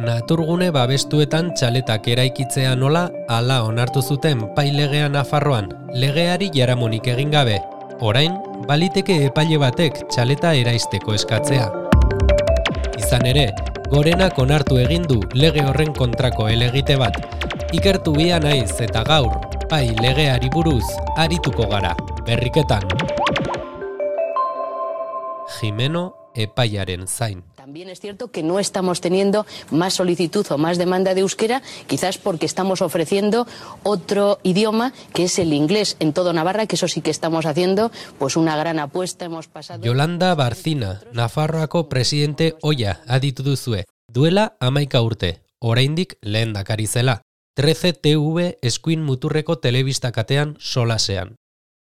Naturgune babestuetan txaletak eraikitzea nola hala onartu zuten pai legea Nafarroan, legeari jaramonik egin gabe. Orain, baliteke epaile batek txaleta eraisteko eskatzea. Izan ere, Gorenak onartu egin du lege horren kontrako helegite bat. Ikertu bia naiz eta gaur, pai legeari buruz arituko gara, berriketan. Jimeno epaiaren zain. También es cierto que no estamos teniendo más solicitud o más demanda de euskera, quizás porque estamos ofreciendo otro idioma que es el inglés en todo Navarra, que eso sí que estamos haciendo pues una gran apuesta. Hemos pasado... Yolanda Barcina, Nafarroako presidente oia aditu duzue. Duela 11 urte, oraindik lehendakari zela. 13 TV eskuin muturreko telebista katean solasean.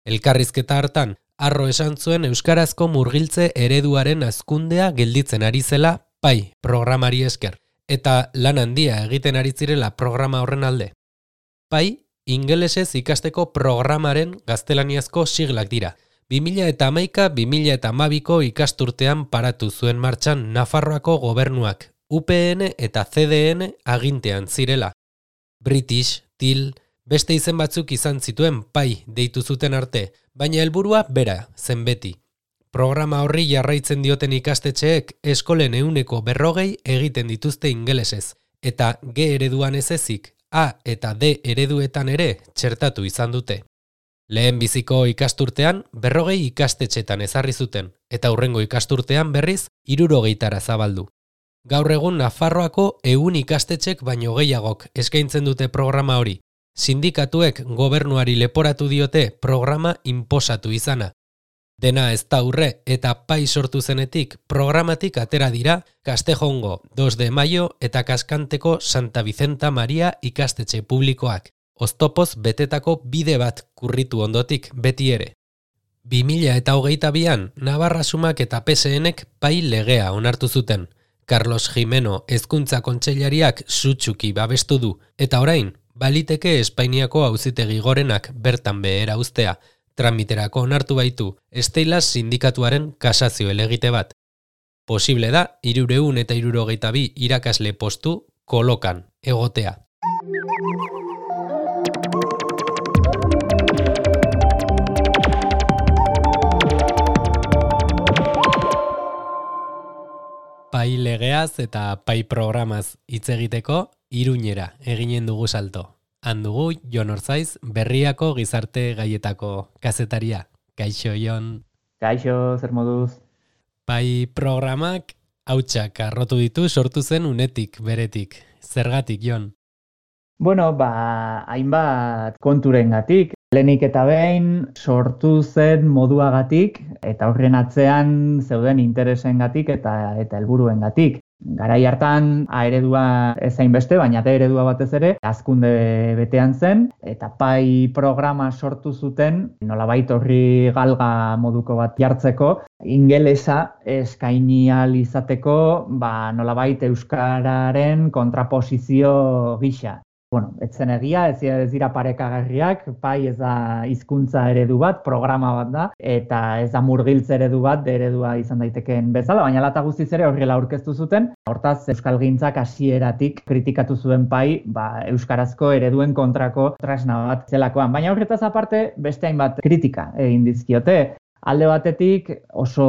Elkarrizketa hartan, Arro esan zuen euskarazko murgiltze ereduaren hazkundea gelditzen ari zela pai programari esker, eta lan handia egiten ari zirela programa horren alde. Pai, ingelesez ikasteko programaren gaztelaniazko siglak dira. 2011-2012ko ikasturtean paratu zuen martxan Nafarroako gobernuak, UPN eta CDN agintean zirela. British, TIL, beste izen batzuk izan zituen pai deitu zuten arte, baina helburua bera zen beti. Programa horri jarraitzen dioten ikastetxeek eskolen 40% egiten dituzte ingelesez, eta G ereduan ez ezik, A eta D ereduetan ere txertatu izan dute. Lehen biziko ikasturtean 40 ikastetxetan ezarri zuten, eta hurrengo ikasturtean berriz 60 zabaldu. Gaur egun Nafarroako 100 ikastetxek baino gehiagok eskaintzen dute programa hori. Sindikatuek gobernuari leporatu diote programa inposatu izana. Dena ez da urre eta pai sortu zenetik programatik atera dira Castejongo 2 de Mayo eta Kaskanteko Santa Vicenta Maria ikastetxe publikoak. Oztopoz betetako bide bat kurritu ondotik beti ere. 2022an Navarra Sumak eta PSNek pai legea onartu zuten. Carlos Jimeno hezkuntza kontseilariak sutsuki babestu du eta orain baliteke Espainiako auzitegi gorenak bertan behera uztea, tramiterako onartu baitu Steilas sindikatuaren kasazio helegite bat. Posible da 362 irakasle postu kolokan egotea. Pai legeaz eta pai programaz hitz egiteko Iruñera eginen dugu salto. Han dugu Jon Orzaiz, Berriako gizarte gaietako kazetaria. Kaixo, Jon. Kaixo, zer moduz? Pai programak hautsak arrotu ditu sortu zen unetik, beretik. Zergatik, Jon? Bueno, hainbat konturengatik. Lehenik eta behin sortu zen moduagatik eta horren atzean zeuden interesengatik eta helburuengatik. Garai hartan A eredua ez hainbeste, baina D eredua batez ere hazkunde betean zen eta pai programa sortu zuten nolabait horri galga moduko bat jartzeko, ingelesa eskaini ahal izateko, nolabait euskararen kontraposizio gisa. Bueno, ez zen egia, ez dira parekagarriak, pai ez da hizkuntza eredu bat, programa bat da, eta ez da murgiltze eredu bat, eredua izan daitekeen bezala, baina lata guztiz ere horrela aurkeztu zuten. Hortaz, euskalgintzak hasieratik kritikatu zuen pai, euskarazko ereduen kontrako tresna bat zelakoan. Baina horretaz aparte, beste hainbat kritika egin dizkiote. Alde batetik oso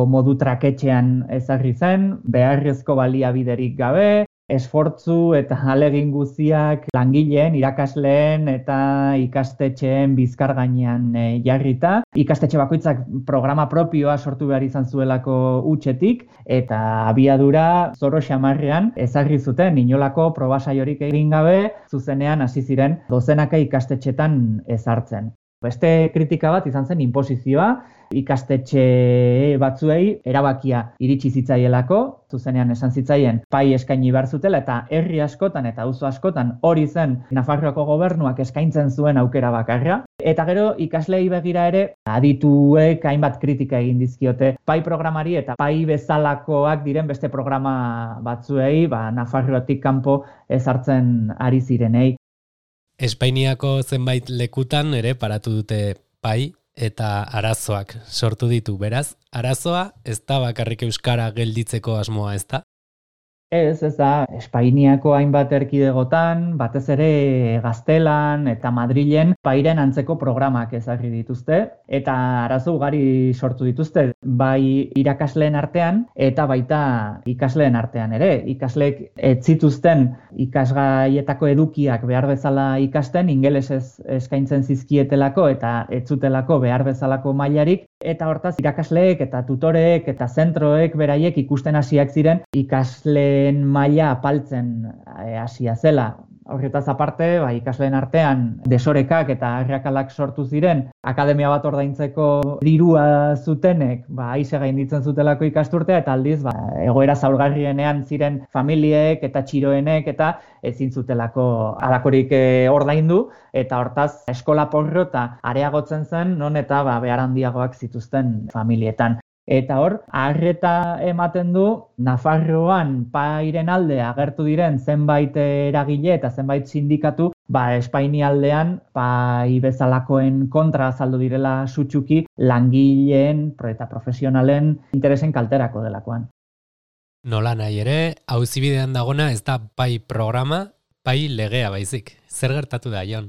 modu traketxean ezarri zen, beharrezko baliabiderik gabe, esfortzu eta ahalegin guztiak langileen, irakasleen eta ikastetxeen bizkar gainean jarrita. Ikastetxe bakoitzak programa propioa sortu behar izan zuelako hutsetik eta abiadura zoro xamarrean ezarri zuten inolako probasaiorik egin gabe zuzenean hasi ziren dozenaka ikastetxetan ezartzen. Beste kritika bat izan zen inposizioa, ikastetxe batzuei erabakia iritsi zitzaielako, zuzenean esan zitzaien pai eskaini behar zutela eta herri askotan eta auzo askotan hori zen Nafarroako gobernuak eskaintzen zuen aukera bakarra. Eta gero ikasleei begira ere adituek hainbat kritika egin dizkiote pai programari eta pai bezalakoak diren beste programa batzuei Nafarroatik kanpo ezartzen ari zirenei. Espainiako zenbait lekutan ere paratu dute pai eta arazoak sortu ditu. Beraz, arazoa ez da bakarrik euskara gelditzeko asmoa, ez da? Ez da, Espainiako hainbat erkidegotan, batez ere Gaztelan eta Madrilen pairen antzeko programak ezarri dituzte, eta arazo ugari sortu dituzte, bai irakasleen artean eta baita ikasleen artean ere. Ikasleek ez zituzten ikasgaietako edukiak behar bezala ikasten, ingelesez eskaintzen zizkietelako eta ez zutelako behar bezalako mailarik, eta hortaz irakasleek eta tutoreek eta zentroek beraiek ikusten hasiak ziren ikasleen maila apaltzen hasia zela. Horretaz aparte, ikasleen artean desorekak eta arrakalak sortu ziren, akademia bat ordaintzeko dirua zutenek, aize gainditzen zutelako ikasturtea, eta aldiz, egoera zaurgarrienean ziren familiek eta txiroenek eta ezin zutelako halakorik ordaindu, eta hortaz eskola porrota areagotzen zen, non eta behar handiagoak zituzten familietan. Eta hor, arreta ematen du, Nafarroan pairen alde agertu diren zenbait eragile eta zenbait sindikatu, Espainialdean pai bezalakoen kontra azaldu direla sutsuki langileen eta profesionalen interesen kalterako delakoan. Nola nahi ere, auzibidean dagona ez da pai programa, pai legea baizik. Zer gertatu da, Jon?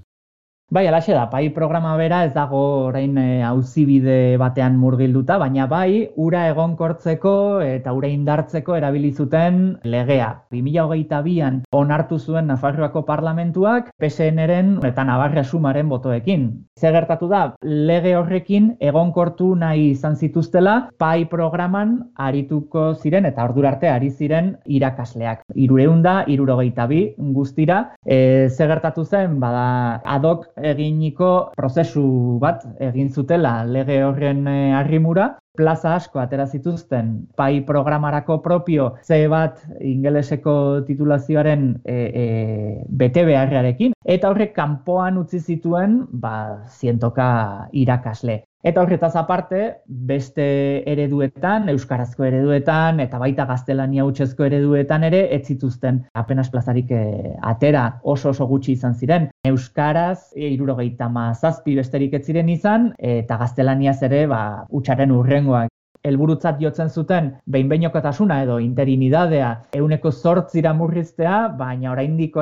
Alaxe da, pai programa bera ez dago orain auzibide batean murgilduta, baina ura egonkortzeko eta ura indartzeko erabili zuten legea. 2022an onartu zuen Nafarroako parlamentuak PSN-ren eta Navarra Sumaren botoekin. Zer gertatu da, lege horrekin egonkortu nahi izan zituztela pai programan arituko ziren eta ordura arte ari ziren irakasleak. 362 guztira, zer gertatu zen, adok eginiko prozesu bat egin zutela lege horren arrimura, plaza asko atera zituzten pai programarako propio C bat ingeleseko titulazioaren bete beharrarekin, eta horrek kanpoan utzi zituen 100 irakasle. Eta horretaz aparte, beste ereduetan, euskarazko ereduetan eta baita gaztelania hutsezko ereduetan ere ez zituzten apenas plazarik atera, oso gutxi izan ziren. Euskaraz 77 besterik ez ziren izan eta gaztelaniaz ere hutsaren hurrengoak. Helburutzat jotzen zuten behin-behinekotasuna edo interinidadea 8% murriztea, baina oraindik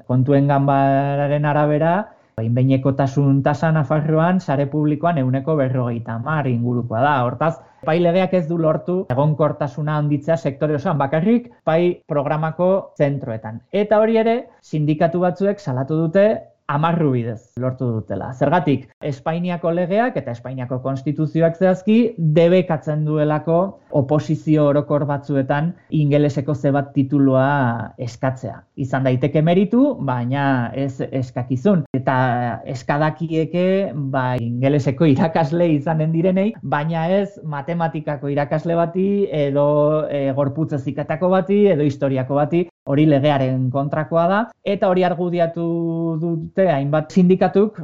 kontuen ganbararen arabera behin-behinekotasun tasa Nafarroan sare publikoan 50% ingurukoa da. Hortaz, pai legeak ez du lortu egonkortasuna handitzea sektore osoan, bakarrik pai programako zentroetan. Eta hori ere, sindikatu batzuek salatu dute 10 bidez lortu dutela. Zergatik, Espainiako legeak eta Espainiako konstituzioak zehazki debekatzen duelako oposizio orokor batzuetan ingeleseko C bat titulua eskatzea. Izan daiteke meritu, baina ez eskakizun. Eta eskadakieke ingeleseko irakasle izanen direnei, baina ez matematikako irakasle bati edo gorputz heziketako bati edo historiako bati. Hori legearen kontrakoa da, eta hori argudiatu dute hainbat sindikatuk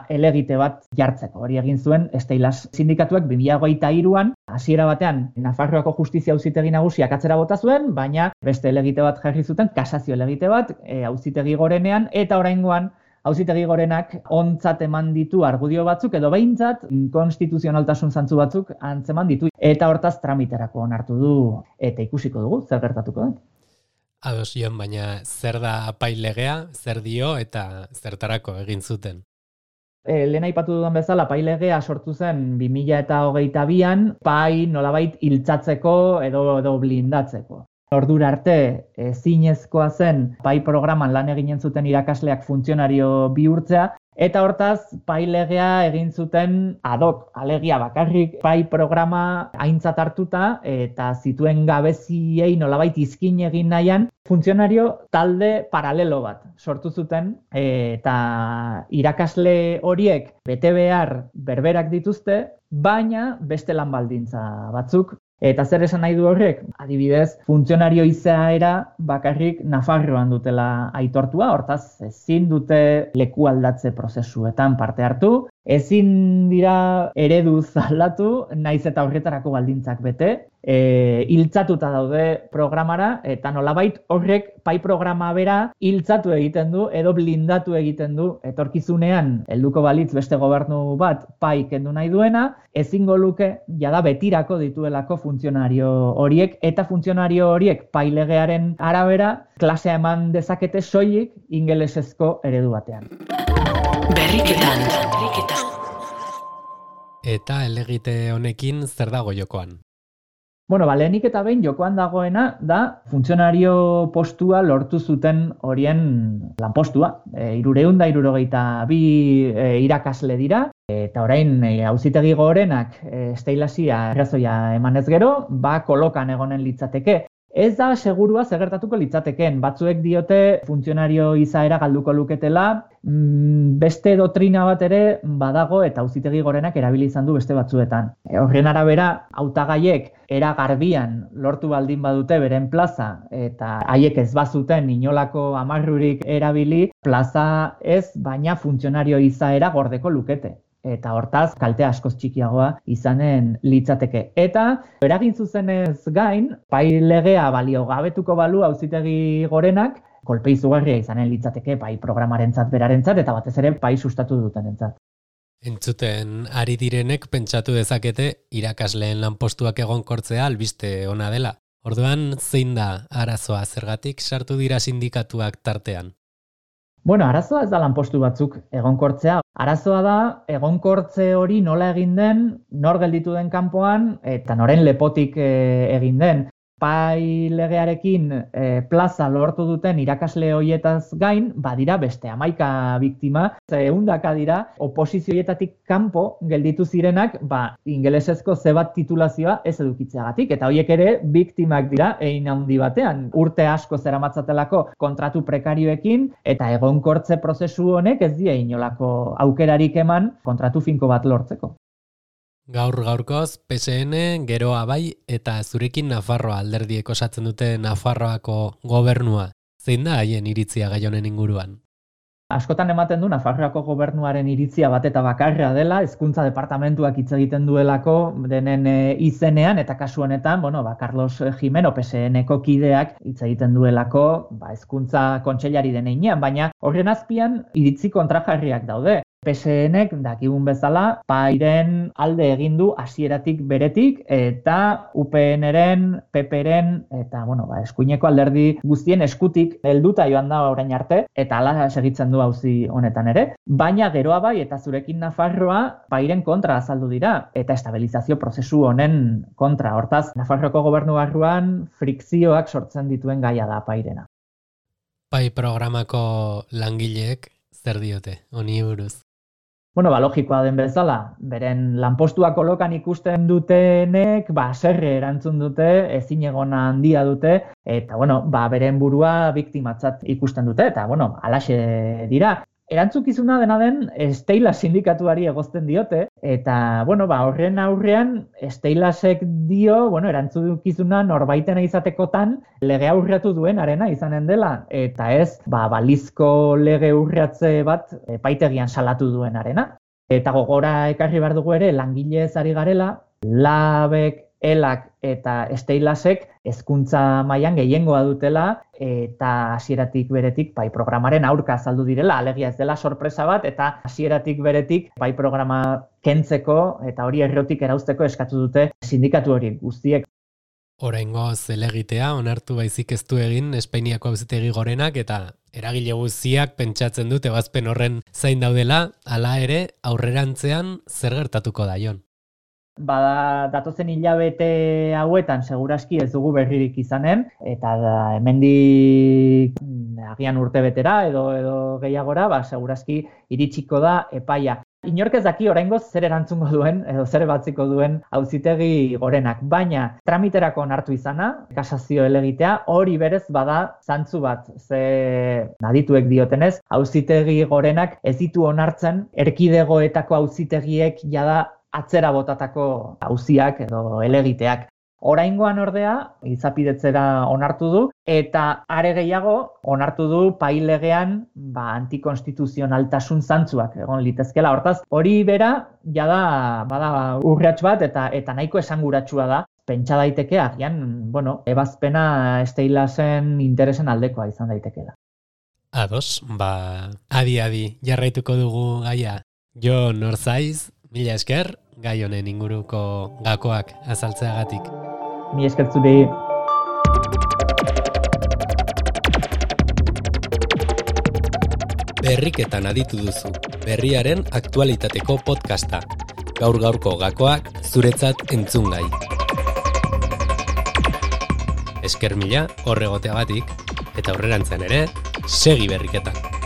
elegite bat jartzeko. Hori egin zuen Steilas sindikatuak 2023an, hasiera batean Nafarroako Justizia Auzitegi Nagusiak atzera bota zuen, baina beste elegite bat jarri zuten, kasazio elegite bat, Auzitegi Gorenean, eta oraingoan Auzitegi Gorenak ontzat eman ditu argudio batzuk, edo behintzat konstituzionaltasun zantzu batzuk antzeman ditu. Eta hortaz tramiterako onartu du, eta ikusiko dugu, zer gertatuko da. Ados, Jon, baina zer da pai legea, zer dio eta zertarako egin zuten? Lehen aipatu dudan bezala, pai legea sortu zen 2022an, pai nolabait hiltzatzeko edo blindatzeko. Ordura arte ezinezkoa zen pai programan lan eginen zuten irakasleak funtzionario bihurtzea, eta hortaz pai legea egin zuten ad hoc, alegia bakarrik pai programa aintzat hartuta eta zituen gabeziei nolabait izkin egin nahian funtzionario talde paralelo bat sortu zuten, eta irakasle horiek bete behar berberak dituzte, baina beste lan baldintza batzuk. Eta zer esan nahi du horrek? Adibidez, funtzionario izaera bakarrik Nafarroan dutela aitortua, hortaz ezin dute leku aldatze prozesuetan parte hartu, Ezin dira ereduz aldatu, naiz eta horretarako baldintzak bete, hiltzatuta daude programara, eta nolabait horrek pai programa bera hiltzatu egiten du, edo blindatu egiten du, etorkizunean helduko balitz beste gobernu bat pai kendu nahi duena, ezingo luke jada betirako dituelako funtzionario horiek, eta funtzionario horiek pai legearen arabera klasea eman dezakete soilik ingelesezko eredu batean. Berriketan. Eta elegite honekin zer dago jokoan? Bueno, lehenik eta behin jokoan dagoena da funtzionario postua lortu zuten horien lanpostua. 362 irakasle dira, eta orain auzitegi gorenak Steilasia arrazoia emanez gero, kolokan egonen litzateke. Ez da segurua zer gertatuko litzatekeen. Batzuek diote funtzionario izaera galduko luketela, beste doktrina bat ere badago eta auzitegi gorenak erabili izan du beste batzuetan. Horren arabera, hautagaiek era garbian lortu baldin badute beren plaza eta haiek ez bazuten inolako amarrurik erabili, plaza ez, baina funtzionario izaera gordeko lukete. Eta hortaz, kalte askoz txikiagoa izanen litzateke. Eta, eragin zuzenez gain, pai legea baliogabetuko balu auzitegi gorenak, kolpe izugarria izanen litzateke pai programarentzat berarentzat eta batez ere pai sustatu dutenentzat. Entzuten ari direnek pentsatu dezakete irakasleen lanpostuak egonkortzea albiste ona dela. Orduan, zein da arazoa, zergatik sartu dira sindikatuak tartean? Bueno, arazoa ez da lanpostu batzuk egonkortzea. Arazoa da egonkortze hori nola egin den, nor gelditu den kanpoan eta noren lepotik egin den. Pai legearekin plaza lortu duten irakasle hoietaz gain, badira beste 11 biktima, 100 dira oposizioietatik kanpo gelditu zirenak, ingelesezko zebat titulazioa ez edukitzeagatik, eta hoiek ere biktimak dira hein handi batean. Urte asko zeramatzatelako kontratu prekarioekin eta egonkortze prozesu honek ez die inolako aukerarik eman kontratu finko bat lortzeko. Gaurkoz, PSN, geroa bai, eta zurekin Nafarroa alderdiek osatzen dute Nafarroako gobernua. Zein da haien iritzia gai honen inguruan? Askotan ematen du Nafarroako gobernuaren iritzia bat eta bakarra dela, hezkuntza departamentuak hitz egiten duelako denen izenean, eta kasu honetan, Carlos Jimeno PSN-ko kideak hitz egiten duelako hezkuntza kontseilari den heinean, baina horren azpian iritzi kontrajarriak daude. PSN-ek dakigun bezala pairen alde egin du hasieratik beretik eta UPN-ren, PP-ren eta eskuineko alderdi guztien eskutik helduta joan da orain arte eta hala segitzen du auzi honetan ere. Baina geroa bai eta zurekin Nafarroa pairen kontra azaldu dira eta estabilizazio prozesu honen kontra. Hortaz, Nafarroako gobernu barruan frikzioak sortzen dituen gaia da pairena. Pai programako langileek zer diote honi buruz? Logikoa den bezala, beren lanpostua kolokan ikusten dutenek, serre erantzun dute, ezinegona handia dute, eta, beren burua biktimatzat ikusten dute, eta, halaxe dira. Erantzukizuna dena den, Steilas sindikatuari egozten diote, eta, horren aurrean, Steilasek dio, erantzukizuna norbaitena izatekotan, lege aurreatu duen arena izanen dela, eta ez, balizko lege urratze bat epaitegian salatu duen arena. Eta gogora ekarri behar dugu ere, langilez ari garela, Labek, Elak eta Steilasek hezkuntza mailan gehiengoa dutela eta hasieratik beretik pai programaren aurka azaldu direla, alegia ez dela sorpresa bat eta hasieratik beretik pai programa kentzeko eta hori errotik erauzteko eskatu dute sindikatu hori guztiek. Oraingoz elegitea onartu baizik ez du egin Espainiako auzitegi gorenak eta eragile guztiak pentsatzen dute ebazpen horren zain daudela, hala ere aurrerantzean zer gertatuko da Jon? Datozen hilabete hauetan seguraski ez dugu berririk izanen, eta hemendik agian urte betera edo gehiagora, seguraski iritsiko da epaia. Inork ez daki oraingoz zer erantzungo duen edo zer batziko duen auzitegi gorenak, baina tramiterako onartu izana, kasazio elegitea, hori berez bada zantzu bat, ze adituek diotenez, auzitegi gorenak ez ditu onartzen erkidegoetako auzitegiek jada atzera botatako auziak edo elegiteak. Oraingoan ordea, izapidetzera onartu du, eta are gehiago onartu du pailegean antikonstituzionaltasun zantzuak egon litezkela. Hortaz, hori bera, jada, bada urrats bat eta nahiko esanguratsua da. Pentsa daiteke, agian, ebazpena Steilasen interesen aldekoa izan daitekeela. Ados, adi jarraituko dugu gaia. Jo Norzaiz, mila esker, gai honen inguruko gakoak azaltzeagatik. Mi esker zuri. Berriketan aditu duzu, berriaren aktualitateko podcasta. Gaur-gaurko gakoak zuretzat entzungai. Esker mila horregoteagatik, eta aurrerantzean ere, segi berriketan.